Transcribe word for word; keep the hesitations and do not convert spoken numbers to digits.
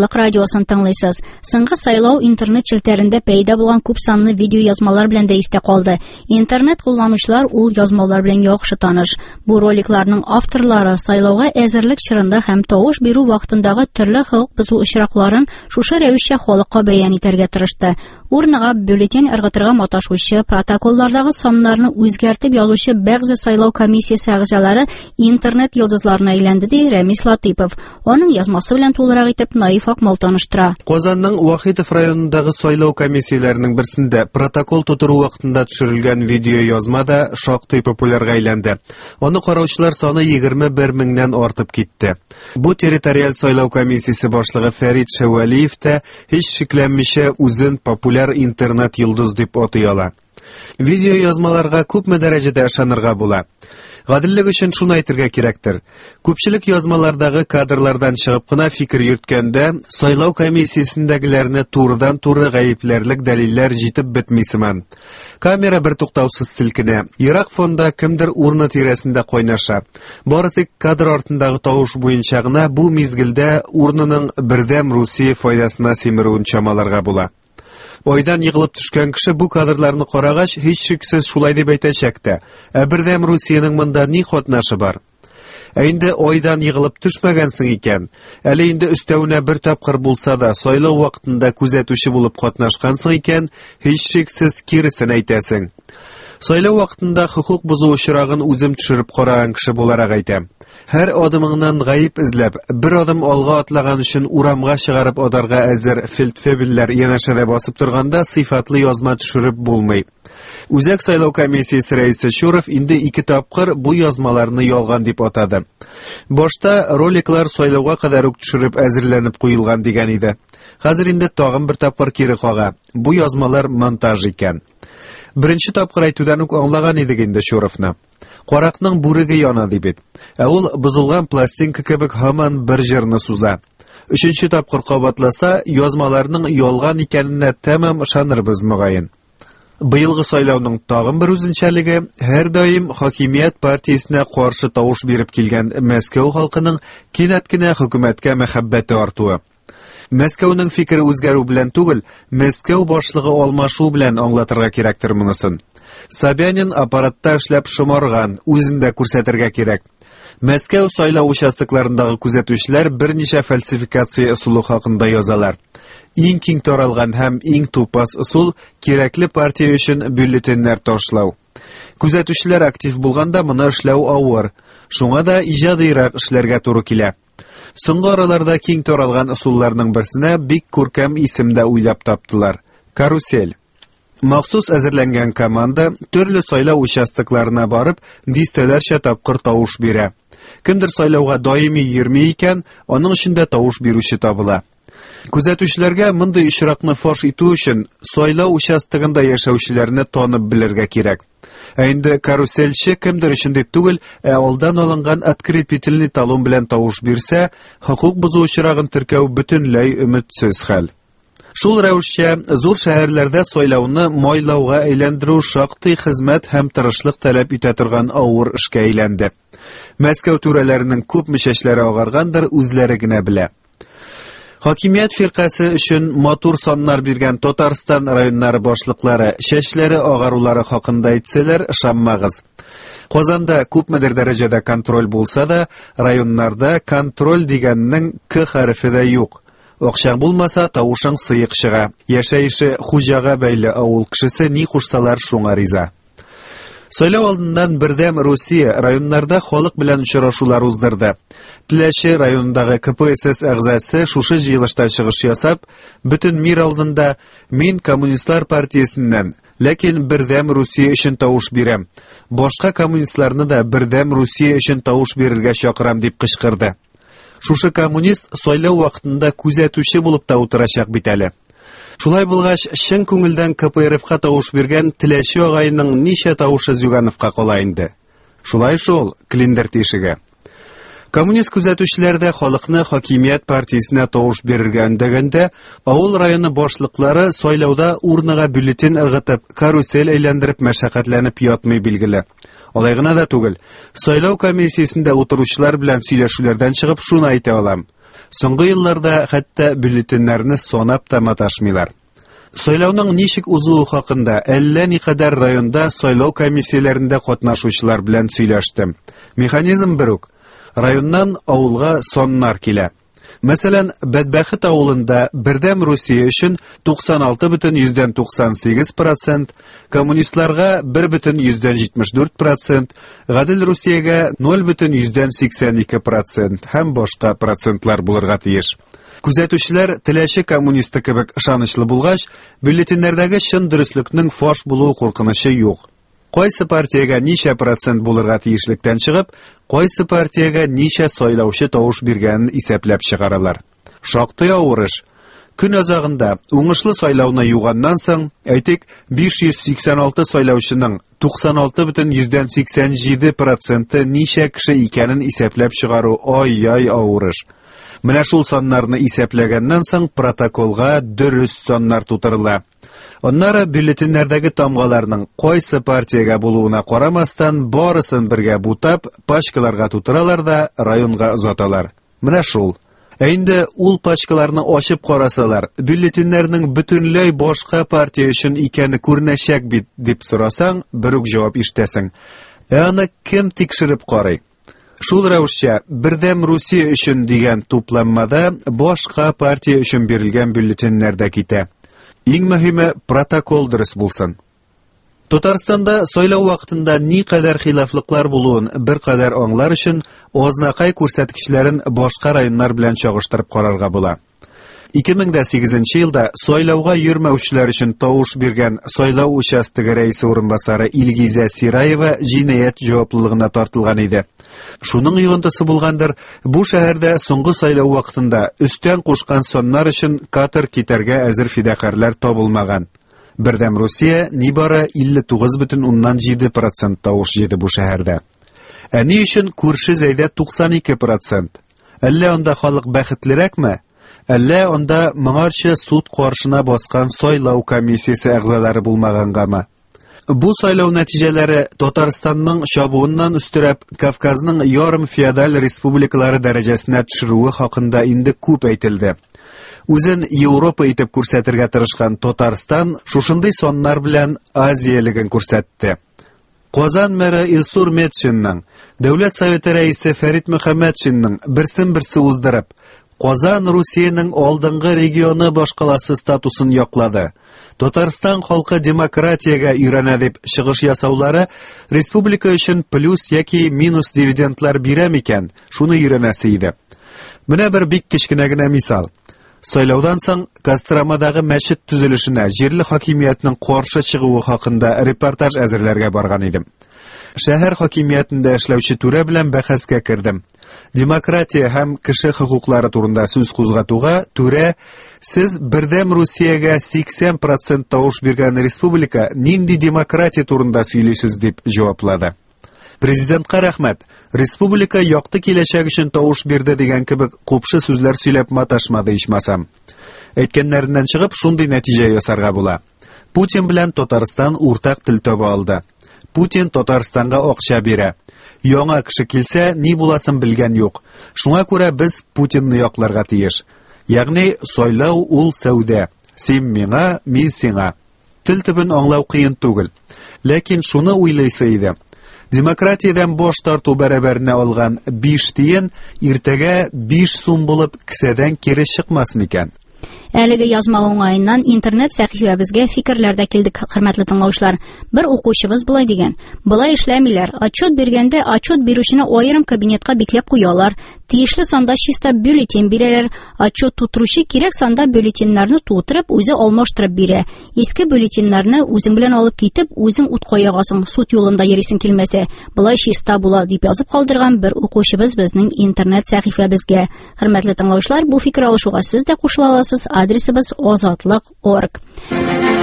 Азатлык радиосын тыңлыйсыз. Соңгы сайлау интернет челтәрендә пәйда булган күп санлы видеоязмалар белән дә истә калды. Интернет кулланучылар ул язмалар белән яхшы таныш. Бу роликларның авторлары сайлауга әзерлек чорында һәм тавыш бирү вакытындагы төрле хокук бозу очракларын шушы рәвешчә халыкка бәян итәргә тырышты. Урнага бюллетень ыргытырга маташучы, протоколлардагы саннарны үзгәртеп язучы бәгъзе сайлау комиссиясе әгъзалары интернет йолдызларына әйләнде, ди Рәмис Латыйпов. Аның язмасы белән тулырак итеп Наиф Акмал таныштыра. Казанның Вахитов районындагы сайлау комиссияләренең берсендә протокол тутыру вакытында төшерелгән видеоязма да шактый популярга әйләнде. Аны караучылар саны егерме бер меңнән артып китте. Бу территориаль сайлау комиссиясе башлыгы Фәрит Шәвәлиев тә һич шикләнмичә үзен популяр интернет йолдыз дип атый ала. Видеоязмаларга күпме дәрәҗәдә ышанырга була? Гаделлек өчен шуны әйтергә кирәктер. Күпчелек язмалардагы кадрлардан чыгып кына фикер йөрткәндә, сайлау комиссиясендәгеләрне турыдан-туры гаепләрлек дәлилләр җитеп бетми сыман. Камера бер туктаусыз селкенә. Ерак фонда кемдер урна тирәсендә кайнаша. Бары тик кадр артындагы тавыш буенча гына бу мизгелдә урнаның Бердәм Русия файдасына симерүен чамаларга була. Айдан егылып төшкән кеше бу кадрларны карагач, һичшиксез шулай дип әйтәчәк тә. Ә Бердәм Русиянең монда ни катнашы бар? Ә инде айдан егылып төшмәгәнсең икән, әле инде өстәвенә бер тапкыр булса да сайлау вакытында күзәтүче булып катнашкансың икән, һичшиксез киресен әйтәсең. Сайлау вакытында хокук бозу очрагын үзем төшереп караган кеше буларак әйтәм. Һәр адымыңнан гаеп эзләп, бер адым алга атлаган өчен урамга чыгарып адарга әзер фельдфебельләр янәшәдә басып торганда сыйфатлы язма төшереп булмый. Үзәк сайлау комиссиясе рәисе Чуров инде ике тапкыр бу язмаларны ялган дип атады. Башта роликлар сайлауга кадәр үк төшереп әзерләнеп куелган дигән иде. Хәзер инде тагын бер тапкыр кире кага. Бу язмалар монтаж икән. Беренче тапкыр әйтүдән үк аңлаган идек инде Чуровны. Каракның бүреге яна ди бит. Ә ул бозылган пластинка кебек һаман бер җырны суза. Өченче тапкыр кабатласа, язмаларның ялган икәненә тәмам ышанырбыз мөгаен. Быелгы сайлауның тагын бер үзенчәлеге һәр даим хакимият партиясенә каршы тавыш биреп килгән Мәскәү халкының кинәт кенә хөкүмәткә мәхәббәте артуы. Мәскәүнең фикере үзгәрү белән түгел, Мәскәү башлыгы алмашу белән аңлатырга кирәктер монысын. Собянин аппаратта эшләп шомарган, үзен дә күрсәтергә кирәк. Мәскәү сайлау участокларындагы күзәтүчеләр берничә фальсификация ысулы хакында язалар. Иң киң таралган һәм иң тупас ысул кирәкле партия өчен бюллетеньнәр ташлау. Күзәтүчеләр актив булганда моны эшләү авыр. Шуңа да иҗадыйрак эшләргә туры килә. Соңгы араларда киң таралган ысулларның берсенә бик күркәм исем дә уйлап таптылар. Карусель. Махсус әзерләнгән команда төрле сайлау участокларына барып, дистәләрчә тапкыр тавыш бирә. Кемдер сайлауга даими йөрми икән, аның өчен дә тавыш бирүче табыла. Күзәтүчеләргә мондый очракны фаш итү өчен сайлау участогында яшәүчеләрне танып белергә кирәк. Ә инде карусельче кемдер өчен дип түгел, ә алдан алынган открепительный талон белән тавыш бирсә, хокук бозу очрагын теркәү бөтенләй өметсез хәл. Шул рәвешчә зур шәһәрләрдә сайлауны майлауга әйләндерү шактый хезмәт һәм тырышлык таләп итә торган авыр эшкә әйләнде. Мәскәү түрәләренең күпме чәчләре агаргандыр, үзләре генә белә. Хакимият фиркасе өчен матур саннар биргән Татарстан районнары башлыклары чәчләре агарулары хакында әйтсәләр, ышанмагыз. Казанда күпмедер дәрәҗәдә контроль булса да, районнарда контроль дигәннең К хәрефе дә юк. Акчаң булмаса, тавышың сыек чыга. Яшәеше хуҗага бәйле авыл кешесе ни кушсалар шуңа риза. Сайлау алдыннан Бердәм Русия районнарда халык белән очрашулар уздырды. Теләче районындагы К П С С әгъзасы шушы җыелышта чыгыш ясап, бөтен мир алдында мин Коммунистлар партиясеннән, ләкин Бердәм Русия өчен тавыш бирәм. Башка коммунистларны да Бердәм Русия өчен тавыш бирергә чакырам дип кычкырды. Шушы коммунист сайлау вакытында күзәтүче булып та утырачак бит әле. Шулай булгач, чын күңелдән К П Р Фка тавыш биргән Теләче агайның ничә тавышы Зюгановка кала инде. Шулай шул, клиндер тишеге. Коммунист күзәтүчеләр дә халыкны хакимият партиясенә тавыш бирергә өндәгәндә, авыл районы башлыклары сайлауда урнага бюллетень ыргытып, карусель әйләндереп мәшәкатьләнеп ятмый билгеле. Алай гына да түгел, сайлау комиссиясендә утыручылар белән сөйләшүләрдән чыгып шуны әйтә алам. Соңгы елларда хәтта бюллетеньнәрне санап та маташмыйлар. Сайлауның ничек узуы хакында әллә никадәр районда сайлау комиссияләрендә катнашучылар белән сөйләштем. Механизм бер үк. Районнан авылга саннар килә. Мәсәлән, Бәдбәхет авылында Бердәм Русия өчен туксан алты бөтен йөздән туксан сигез процент, коммунистларга бер бөтен йөздән җитмеш дүрт процент, Гадел Русиягә ноль бөтен йөздән сиксән ике процент һәм башка процентлар булырга тиеш. Күзәтүчеләр Теләче коммунисты кебек ышанычлы булгач, бюллетеньнәрдәге чын дөреслекнең фаш булуы куркынычы юк. Кайсы партиягә ничә процент булырга тиешлектән чыгып, кайсы партиягә ничә сайлаучы тавыш биргәнен исәпләп чыгаралар. Шактый авыр эш. Көн азагында уңышлы сайлауны юганнан соң, әйтик, биш йөз сиксән алты сайлаучының туксан алты бөтен йөздән сиксән җиде проценты ничә кеше икәнен исәпләп чыгару ай-яй авыр эш. Менә шул саннарны исәпләгәннән соң протоколга дөрес саннар тутырыла. Аннары бюллетеньнәрдәге тамгаларның кайсы партиягә булуына карамастан барысын бергә бутап, пачкаларга тутыралар да районга озаталар. Менә шул. Ә инде ул пачкаларны ачып карасалар, бюллетеньнәрнең бөтенләй башка партия өчен икәне күренәчәк бит, дип сорасаң, бер үк җавап ишетәсең. Ә аны кем тикшереп карый? Шул рәвешчә Бердәм Русия өчен дигән тупланмада башка партия өчен бирелгән бюллетеньнәр дә китә. Иң мөһиме протокол дөрес булсын. Татарстанда сайлау вакытында ни кадәр хилафлыклар булуын бер кадәр аңлар өчен Азнакай күрсәткечләрен башка районнар белән чагыштырып карарга була. Ике мең дә сигезенче елда сайлауга йөрмәүчеләр өчен тавыш биргән сайлау участогы рәисе урынбасары Илгизә Сираева җинаять җаваплылыгына тартылган иде. Шуның йогынтысы булгандыр, бу шәһәрдә соңгы сайлау вакытында өстән кушкан саннар өчен катер китәргә әзер фидакарьләр табылмаган. Бердәм Русия нибары илле тугыз бөтен уннан җиде процент тавыш җыйды бу шәһәрдә. Ә ни өчен күрше Зәйдә туксан ике процент? Әллә анда халык бәхетлерәкме? Әллә анда моңарчы суд каршына баскан сайлау комиссиясе әгъзалары булмагангамы? Бу сайлау нәтиҗәләре Татарстанның чабуыннан өстерәп Кавказның ярым феодаль республикалары дәрәҗәсенә төшерүе хакында инде күп әйтелде. Үзен Европа итеп күрсәтергә тырышкан Татарстан шушындый саннар белән Азиялеген күрсәтте. Казан мэры Илсур Метшинның, Дәүләт Советы рәисе Фәрит Мөхәммәтшинның берсен-берсе уздырып, Казан Русиянең алдынгы регионы башкаласы статусын яклады. Татарстан халкы демократиягә өйрәнә дип чыгыш ясаулары республика өчен плюс яки минус дивидендлар бирә микән? Шуны өйрәнәсе иде. Менә бер бик кечкенә генә мисал. Сайлаудан соң Костромадагы мәчет төзелешенә җирле хакимиятнең каршы чыгуы хакында репортаж әзерләргә барган идем. Шәһәр хакимиятендә эшләүче түрә белән бәхәскә кердем. Демократия һәм кеше хокуклары турында сүз кузгатуга түрә: "Сез Бердәм Русиягә сиксән процент тавыш биргән республика нинди демократия турында сөйлисез?" дип җаваплады. Президентка рәхмәт, республика якты киләчәк өчен тавыш бирде дигән кебек купшы сүзләр сөйләп маташмады ичмасам. Әйткәннәреннән чыгып шундый нәтиҗә ясарга була. Путин белән Татарстан уртак тел таба алды. Путин Татарстанга акча бирә. Яңа кеше килсә, ни буласын белгән юк. Шуңа күрә без Путинны якларга тиеш. Ягъни сайлау ул сәүдә. Син миңа, мин сиңа. Тел төбен аңлау кыен түгел. Ләкин шуны уйлыйсы иде. Демократиядән баш тарту бәрабәренә алган биш тиен иртәгә биш сум булып кесәдән кире чыкмас микән? Әлеге язма уңаеннан интернет сәхифәбезгә фикерләр дә килде, хөрмәтле тыңлаучылар. Бер укучыбыз болай дигән: Болай эшләмиләр. Отчет биргәндә отчет бирүчене аерым кабинетка бикләп куялар. Тиешле санда чиста бюллетень бирәләр. Отчет тутыручы кирәк санда бюллетеньнәрне тутырып, үзе алмаштырып бирә. Иске бюллетеньнәрне үзең белән алып китеп, үзең утка ягасың, суд юлында йөрисең килмәсә. Болай чиста була, дип язып калдырган бер укучыбыз безнең интернет сәхифәбезгә. Хөрмәтле тыңлаучылар, бу фикер алышуга сез дә кушыла аласыз. Адресыбыз озатлык орг.